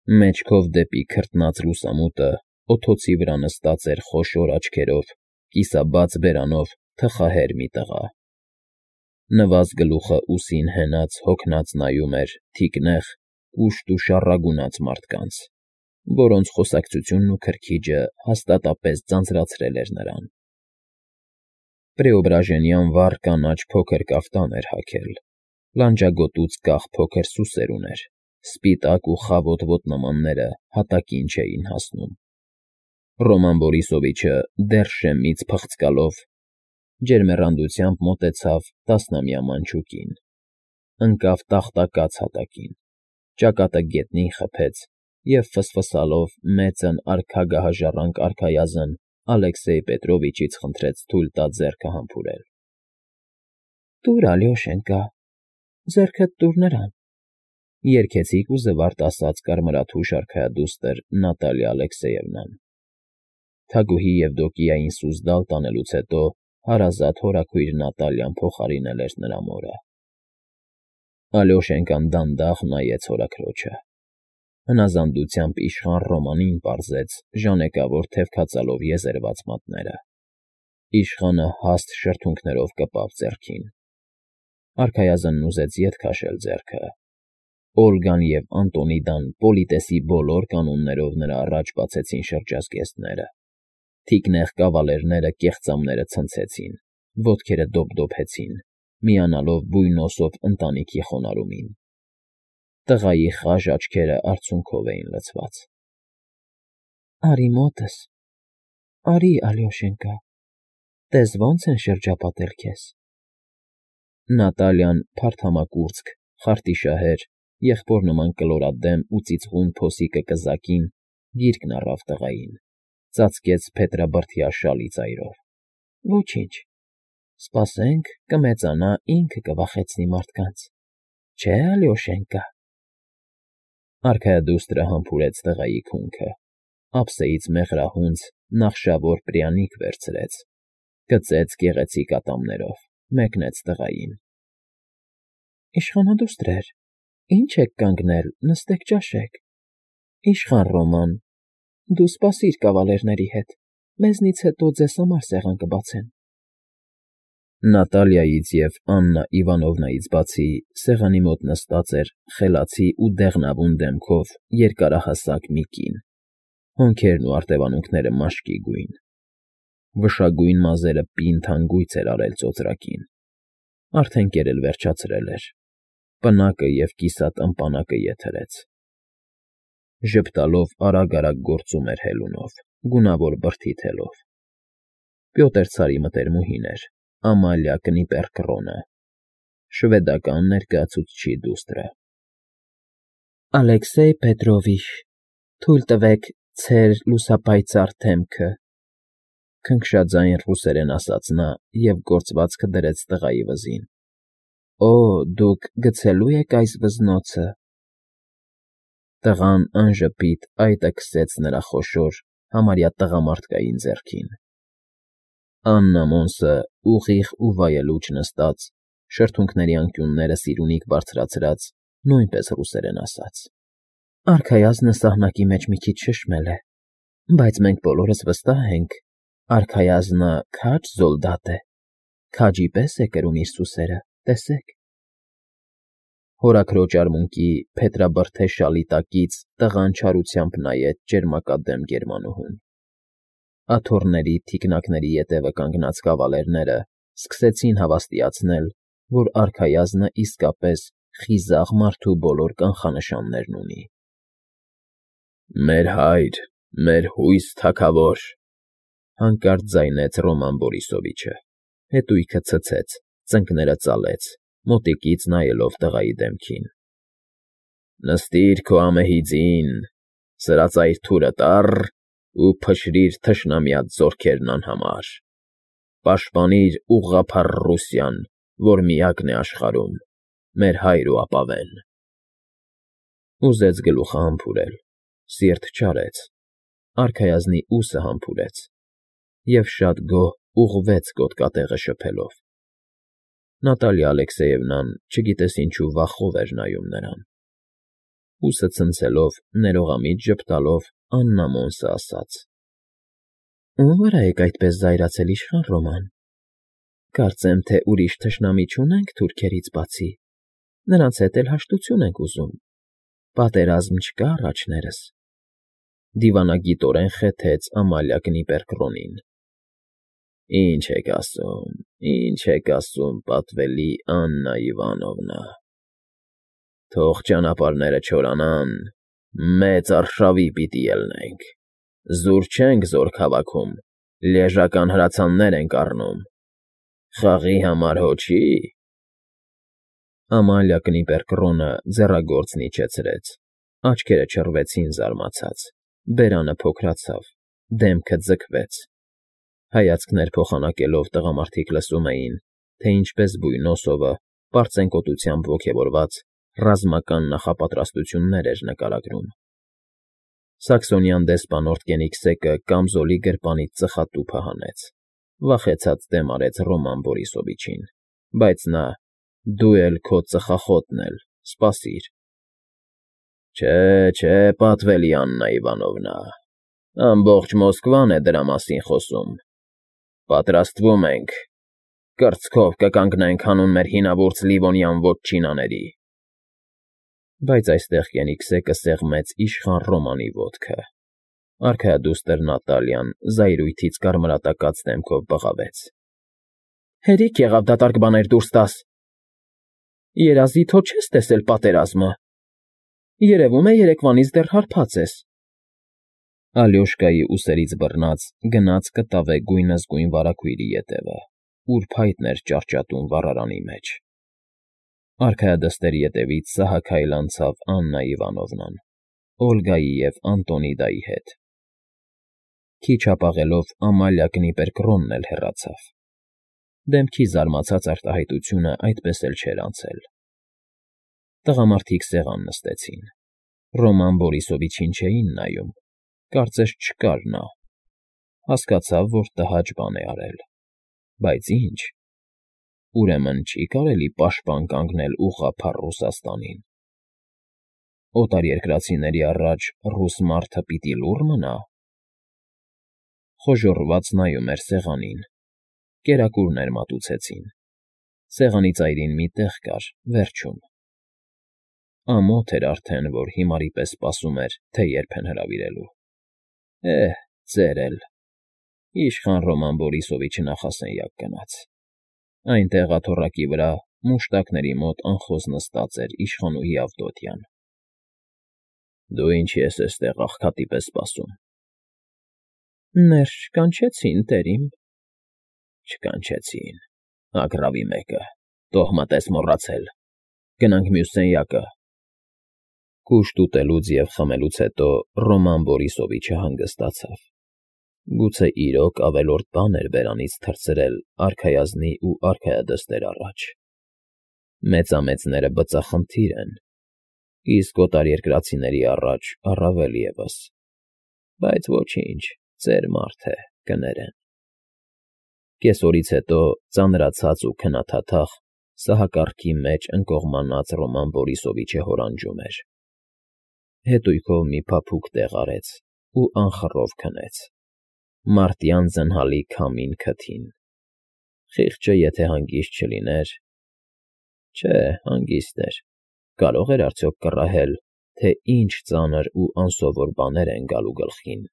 Մեջքով դեպի քրտնած լուսամուտը օդոցի վրա նստած էր խոշոր աչքերով, կիսաբաց բերանով թխահեր մի տղա. նվազ գլուխը ուսին հենած հոգնած նայում էր թիկնեղ, կուշտ ու շառագունած մարդկանց, որոնց խոսակցությունն ու քրքիջը հաստատապես ձանձրացրել էր նրան. Պրեոբրաժենյան վառ կանաչ փոքր կաֆտան էր հագել, լանջագոտուց կախ փոքր սուսեր ուներ, սպիտակ ու խավոտ ոտնամանները հատակին չէին հասնում։ Ռոման Բորիսովիչը դեռ շեմից փղծկալով ջերմեռանդությամբ մոտեցավ տասնամյա մանչուկին, ընկավ տախտակած հատակին, ճակատը գետնին խփեց և ֆսֆսալով մեծն արքագահաժառանգ արքայազն Ալեքսեյ Պետրովիչից խնդրեց թույլ տա ձեռքը համբուրել։ ֊ Տուր, Ալյոշենկա, ձեռքդ տուր նրան, ֊ երգեցիկ ու զվարթ ասաց կարմրաթուշ արքայադուստր Նատալիա Ալեքսեևնան։ Թագուհի Եվդոկիային սուզդալ տանելուց հետո հարազատ հորաքույր Նատալիան փոխարինել էր նրա մորը։ Ալյոշենկան դանդաղ նայեց հորաքրոջը։ Հնազանդությամբ իշխան Ռոմանին պարզեց ժանեկավոր թևքածալով եզերված մատները։ Իշխանը հաստ շրթունքներով կպավ ձեռքին։ Արքայազնն ուզեց ետ քաշել ձեռքը։ Օլգան և Անտոնիդան պոլիտեսի բոլոր կանոններով նրա առաջ բացեցին շրջազգեստները։ Թիկնեղ կավալերները կեղծամները ցնցեցին, ոտքերը դոփդոփեցին, միանալով բույնոսով ընտանիքի խոնարհումին։ Տղայի խաժ աչքերը արցունքով էին լցված։ ֊ Արի մոտս, արի, Ալյոշենկա, տես ոնց են շրջապատել քեզ։ Նատալիան փարթամակուրծք, խարտիշահեր, եղբոր նման կլորադեմ ու ծիծղուն փոսիկը կզակին գիրկն առավ տղային, ծածկեց փետրաբրդյա շալի ծայրով։ ֊ Ոչինչ, սպասենք, կմեծանա, ինքը կվախեցնի մարդկանց, չէ՞, Ալյոշենկա։ Արքայադուստրը համբուրեց տղայի քունքը, ափսեից մեղրահունց նախշավոր պրյանիկ վերցրեց, գծեց գեղեցիկ ատամներով, մեկնեց տղային։ ֊ Իշխանադուստրեր, ի՞նչ եք կանգնել, նստեք ճաշեք։ Իշխան Ռոման, դու սպասիր կավալերների հետ, մեզնից հետո ձեզ համար սեղան կբացեն։ Նատալիայից և Աննա Իվանովնայից բացի սեղանի մոտ նստած էր խելացի ու դեղնավուն դեմքով երկարահասակ մի կին, հոնքերն ու արտևանունքները մաշկի գույն, վշագույն մազերը պինդ հանգույց էր արել ծոծրակին, արդեն կերել վերջացրել էր, պնակը և կիսատ ըմպանակը եթերեց։ Ժպտալով արագ֊արագ գործում էր հելունով, գունավոր բրդի թելով։ Պյոտր Ցարի մտերմուհին էր, Ամալիա Կնիպերկռոնը, շվեդական ներկայացուցչի դուստրը։ ֊ Ալեքսեյ Պետրովիչ, թույլ տվեք ցեր լուսապայծառ դեմքը, ֊ քնքշաձայն ռուսերեն ասաց նա և գործվածքը դրեց տղայի վզին։ ֊ Օ, դուք գցելու եք այս վզնոցը։ Տղան անժպիտ այտը քսեց նրա խոշոր, համարյա տղամարդկային ձեռքին։ Աննա Մոնսը ուղիղ ու վայելուչ նստած, շրթունքների անկյունները սիրունիկ բարձրացրած, նույնպես ռուսերեն ասաց. ֊ Արքայազնը սահնակի մեջ մի քիչ շշմել է, բայց մենք բոլորս վստահ ենք, արքայազնը քաջ զոլդատ է, քաջի պես է կրում իր սուսերը, տեսեք։ Հորաքրոջ արմունկի փետրաբրդե շալի տակից տղան չարությամբ նայեց ճերմակադեմ գերմանուհուն։ Աթոռների, թիկնակների ետևը կանգնած կավալերները սկսեցին հավաստիացնել, որ արքայազնը իսկապես խիզախ մարդու բոլոր կանխանշաններն ունի։ ֊ Մեր հայր, մեր հույս թագավոր, ֊ հանկարծ ձայնեց Ռոման Բորիսովիչը, հետույքը ցցեց, ծնկները ծալեց, մոտիկից նայելով տղայի դեմքին։ ֊ Նստիր քո ամեհի ձին, սրածայր թուրը տառ ու փշրիր թշնամյաց զորքերն անհամար, պաշտպանիր ուղղափառ Ռուսիան, որ միակն է աշխարհում, մեր հայր ու ապավեն։ Ուզեց գլուխը համբուրել, սիրտ չարեց, արքայազնի ուսը համբուրեց և շատ գոհ ուղղվեց գոտկատեղը շփելով։ Նատալիա Ալեքսեևնան չգիտես ինչու վախով էր նայում նրան։ Ուսը ցնցելով, ներողամիտ ժպտալով, աննամոնսը ասաց. Ո՞ւմ վրա եք այդպես զայրացել, իշխան Ռոման. կարծեմ, թե ուրիշ թշնամի չունենք թուրքերից բացի, նրանց հետ էլ հաշտություն ենք ուզում, պատերազմ չկա առաջներս… Դիվանագիտորեն խեթեց Ամալիա Կնիպերկրոնին. Ինչ եք ասում, պատվելի Աննա Իվանովնա… Թող ճանապարհները չորանան, մեծ արշավի պիտի ելնենք, զուր չենք զորք հավաքում, լիեժական հրացաններ ենք առնում, խաղի համար հո չի… Ամալիա Կնիպերկրոնը ձեռագործն իջեցրեց, աչքերը չռվեցին զարմացած, բերանը փոքրացավ, դեմքը ձգվեց… Հայացքներ փոխանակելով տղամարդիկ լսում էին, թե ինչպես բույն Օսովը, պարծենկոտությամբ ոգևորված, ռազմական նախապատրաստություններ էր նկարագրում… Սաքսոնյան դեսպան Օրտկենիքսեկը կամզոլի գրպանից ծխատուփը հանեց, վախեցած դեմ արեց Ռոման Բորիսովիչին, բայց նա. դու էլ քո ծխախոտն էլ, սպասիր… Չէ, պատվելի Աննա Իվանովնա, ամբողջ Մոսկվան է դրա մասին խոսում… Պատրաստվում ենք, կրծքով կկանգնենք հանուն մեր հինավուրց Լիվոնյան վոտչինաների… Բայց այստեղ Կենիգսեկը սեղմեց իշխան Ռոմանի ոտքը… Արքայադուստր Նատալիան զայրույթից կարմրատակած դեմքով բղավեց. Հերիք եղավ դատարկ բաներ դուրս տաս… Երազի թո չես տեսել պատերազմը… Երևում է երեկվանից դեռ հարբած ես… Ալյոշկայի ուսերից բռնած գնաց կտավե գույնզգույն վարագույրի ետևը, ուր փայտն էր ճարճատում վառարանի մեջ… Արքայադստերի ետևից սահաքայլ անցավ Աննա Իվանովնան, Օլգայի և Անտոնիդայի հետ… Քիչ հապաղելով Ամալիա Կնիպերկրոնն էլ հեռացավ… Դեմքի զարմացած արտահայտությունը այդպես էլ չէր անցել… Տղամարդիկ սեղան նստեցին, Ռոման Բորիսովիչին չէին նայում, կարծես չկար նա… Հասկացավ, որ տհաճ բան է արել… Բայց ի՞նչ… Ուրեմն չի՞ կարելի պաշտպան կանգնել ուղղափառ Ռուսաստանին… Օտարերկրացիների առաջ ռուս մարդը պիտի լուռ մնա… Խոժոռված նայում էր սեղանին, կերակուրներ մատուցեցին, սեղանի ծայրին մի տեղ կար, վերջում… Ամոթ էր արդեն, որ հիմարի պես սպասում էր, թե երբ են հրավիրելու… Ծեր էլ… Իշխան Ռոման Բորիսովիչը նախասենյակ գնաց… Այնտեղ աթոռակի վրա, մուշտակների մոտ անխոզ նստած էր իշխանուհի Ավդոտյան… Դու ինչի ես էստեղ աղքատի պես սպասում… Ներս չկանչեցին, տերիմ… Չկանչեցին… Ագռավի մեկը… Տոհմդ ես մոռացել… Գնանք մյուս սենյակը… Կուշտ ուտելուց և խմելուց հետո Ռոման Բորիսովիչը հանգստացավ… Գուցե իրոք ավելորդ բան էր բերանից թռցրել արքայազնի ու արքայադստեր առաջ… Մեծամեծները բծախնդիր են, իսկ օտարերկրացիների առաջ առավել ևս… Բայց ոչինչ, ծեր մարդ է, կներեն… Կեսօրից հետո ծանրացած ու քնաթաթախ սահակառքի մեջ ընկողմանած Ռոման Բորիսովիչը հորանջում էր… Հետույքով մի փափուկ տեղ արեց ու անխռով քնեց… Մարտյան զնհալի քամին քթին… Խիղճը եթե հանգիստ չլիներ… Չէ, հանգիստ էր… Կարող էր արդյոք կռահել, թե ինչ ծանր ու անսովոր բաներ են գալու գլխին…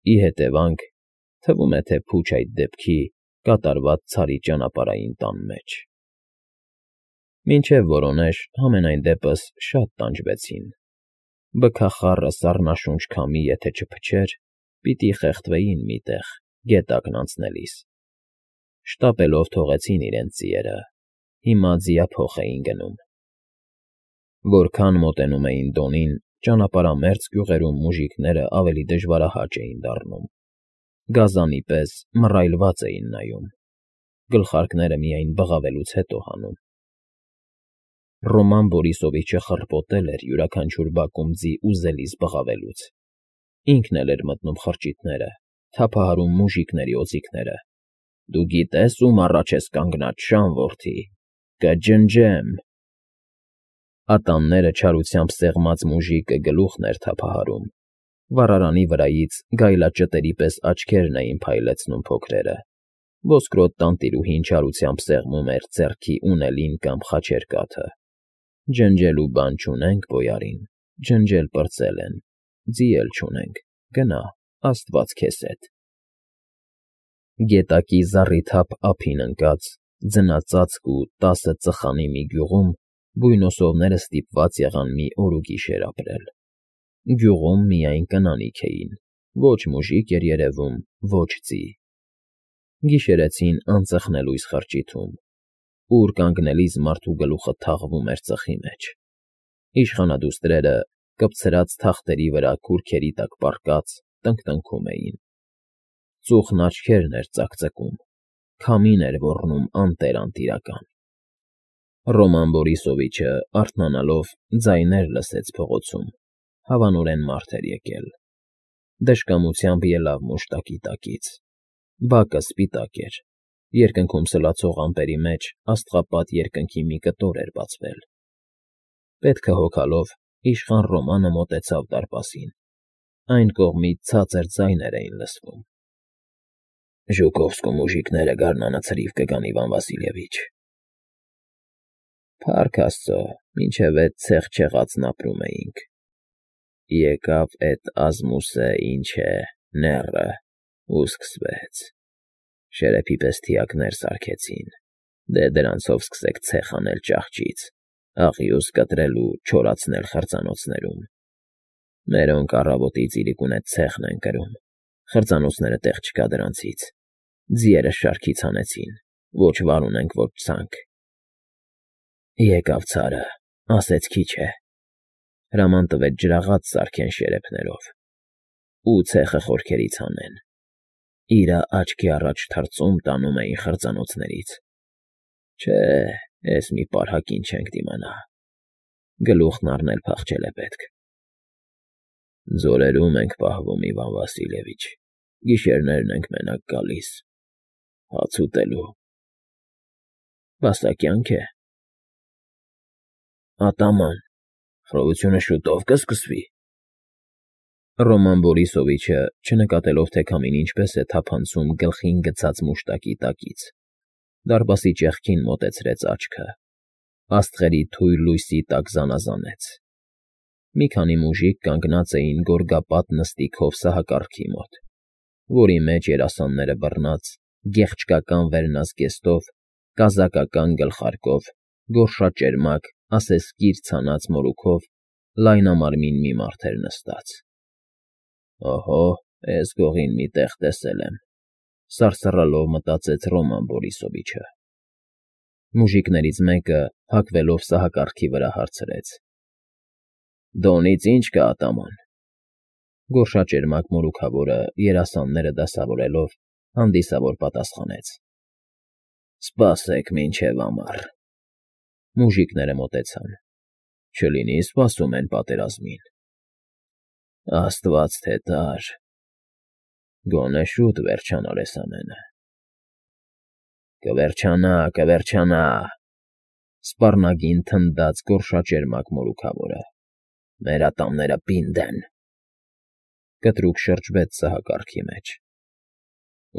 Ի հետևանք, թվում է, թե փուչ այդ դեպքի կատարված ցարի ճանապարհային տան մեջ… Մինչև որոնեշ, համենայն դեպս, շատ տանջվեցին… Բքախառը սառնաշունչ քամի եթե չփչեր, պիտի խեղդվեին մի տեղ, գետակն անցնելիս… Շտապելով թողեցին իրենց ձիերը, հիմա ձիափոխ էին գնում… Որքան մոտենում էին Դոնին, ճանապարհամերձ գյուղերում մուժիկներն ավելի դժվարահաճ էին դառնում… Գազանի պես մռայլված էին նայում, գլխարկները միայն բղավելուց հետո հանում… Ռոման Բորիսովիչը խռպոտել էր յուրաքանչյուր բակում ձի ուզելիz բղավելուց… Ինքն էլ էր մտնում խրճիթները, թափահարում մուժիկների օձիքները… Դու գիտե՞ս ում առաջ ես կանգնած, Շան որդի… Կջնջեմ… Ատամները չարությամբ սեղմած մուժիկը գլուխն էր թափահարում, վառարանի վրայից գայլաճտերի պես աչքերն էին փայլեցնում փոքրերը, ոսկրոտ տանտիրուհին չարությամբ սեղմում էր ձեռքի ունելին կամ խաչերկաթը։ Ջնջելու բան չունենք, բոյարին, ջնջել պրծել են, ձի էլ չունենք, գնա, աստված քեզ հետ։ Գետակի զառիթափ ափին ընկած, ձնածածկ ու 10 ծխանի մի գյուղում բույնոսովները ստիպված եղան մի օր ու գիշեր ապրել։ Գյուղում միայն կանանիք էին, ոչ մուժիկ էր երևում, ոչ ձի։ Գիշերեցին անծխնելույս խրճիթում, ուր կանգնելիս մարդու գլուխը թաղվում էր ծխի մեջ։ Իշխանադուստրերը կպցրած թախտերի վրա քուրքերի տակ պառկած տնկտնքում էին։ Ծուխն աչքերն էր ծակծկում, քամին էր ոռնում անտեր-անտիրական։ Ռոման Բորիսովիչը, արթնանալով, ձայներ լսեց փողոցում, հավանորեն մարդ էր եկել։ Դժկամությամբ ելավ մուշտակի տակից։ Բակը սպիտակ էր, երկնքում սլացող ամպերի մեջ աստղապատ երկնքի մի կտոր էր բացվել։ Պետքը հոգալով իշխան Ռոմանը մոտեցավ դարպասին։ Այն կողմից ցածր ձայներ էին լսվում։ Ժուկովսկու մուժիկները գարնանը ցրիվ կգան, Իվան Վասիլևիչ։ Փառք Աստծո, մինչև էդ ցեղ չեղածն ապրում էինք։ Եկավ էդ ազմուսը, ինչ է, նեռը, ու սկսվեց։ Շերեփի պես թիակներ սարքեցին, դե դրանցով սկսեք ցեխ անել ճահճից, աղյուս կտրել ու չորացնել խրձանոցներում։ Մերոնք առավոտից իրիկուն էդ ցեխն են կրում, խրձանոցները տեղ չկա դրանցից։ Ձիերը շարքից հանեցին, ոչ վար ունենք, ոչ ցանկ։ Եկավ ցարը, ասեց քիչ է։ Հրաման տվեց ջրաղաց սարքեն շերեփներով ու ցեխը խորքերից հանեն։ Իրա աչքի առաջ թրծում տանում էին խրձանոցներից։ Չէ, էս մի պարհակին չենք դիմանա։ Գլուխն առնել փախչել է պետք։ Ձորերում ենք պահվում, Իվան Վասիլևիչ, գիշերներն ենք մենակ գալիս, հաց ուտելու։ Բասակյանք է։ Ատաման, խռովությունը շուտով կսկսվի։ Ռոման Բորիսովիչը, չնկատելով, թե քամին ինչպես է թափանցում գլխին գցած մուշտակի տակից, դարպասի ճեղքին մոտեցրեց աչքը, աստղերի թույլ լույսի տակ զանազանեց։ Մի քանի մուժիկ կանգնած էին գորգապատ նստիքով սահակարգի մոտ, որի մեջ երասանները բռնած, գեղչկական վերնազգեստով, կազակական գլխարկով, գորշաճերմակ, ասեսկիր ցանած մորուքով լայնամարմին մի մարդ էր նստած։ Օհո, էս գողին մի տեղ տեսել եմ, սարսռալով մտածեց Ռոման Բորիսովիչը։ Մուժիկներից մեկը, հագվելով սահակարգի վրա, հարցրեց. Դոնից ինչ կա, ատաման։ Գորշաճերմակ մորուքավորը, երասանները դասավորելով, հանդիսավոր պատասխանեց. Սպասեք մինչև ամառ։ Մուժիկները մոտեցան։ Չլինի սպասում են պատերազմին։ Աստված թե տար։ Գոնե շուտ վերջանար էս ամենը։ Կվերջանա, կվերջանա, սպառնագին թնդաց գորշաճերմակ մորուքավորը։ Մեր ատամները պինդ են։ Կտրուկ շրջվեց սահակարգի մեջ։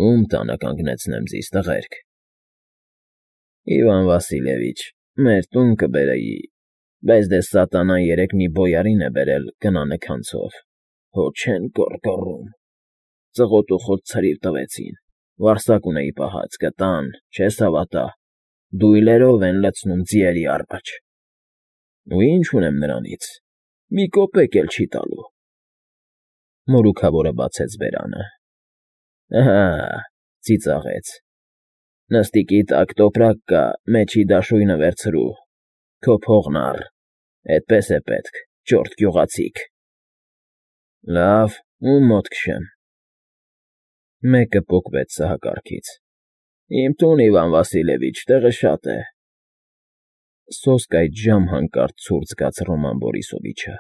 Ում տանը կանգնեցնեմ ձիզ, տղերք։ Իվան Վասիլևիչ, մեր տուն կբերեի, բայց դե սատանան երեկ մի բոյարին է բերել գնանքանցով, հո չեն կոռկոռում։ Ծղոտ ցրիվ տվեցին, վարսակ ունեի պահած, գտան, չես հավատա, դույլերով են լցնում ձիերի առաջ։ Ու ինչ ունեմ նրանից, մի կոպեկ էլ չի տալու։ Մորուքավորը բացեց բերանը։ Ահա, ծիծաղեց։ Նստիկի տակ տոպրակ կա, մեջի դաշույնը վերցրու, քո փողն առ, էդպես է պետք, ճորտ գյուղացիք։ Լավ, ում մոտ քշեմ։ Մեկը պոկվեց սահակարգից։ Իմ տուն, Իվան Վասիլևիչ, տեղը շատ է։ Սոսկ այդ ժամ հանկարծ ցուրտ զգաց Ռոման Բորիսովիչը։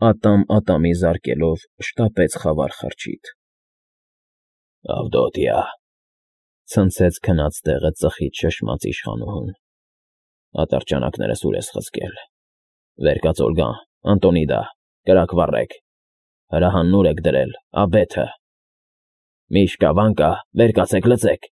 Ատամ ատամի զարկելով շտապեց խավար խրճիթ։ Ավդոտյա, ցնցեց քնած տեղը ծխից շշմած իշխանուհուն։ Ատրճանակներս ուր ես խցկել։ Վեր կաց, Օլգա, Անտոնիդա, կրակ վառեք, հրահան նուր եք դրել, աբեթը։ Միշկա, Վանկա, վեր կացեք, լսեք։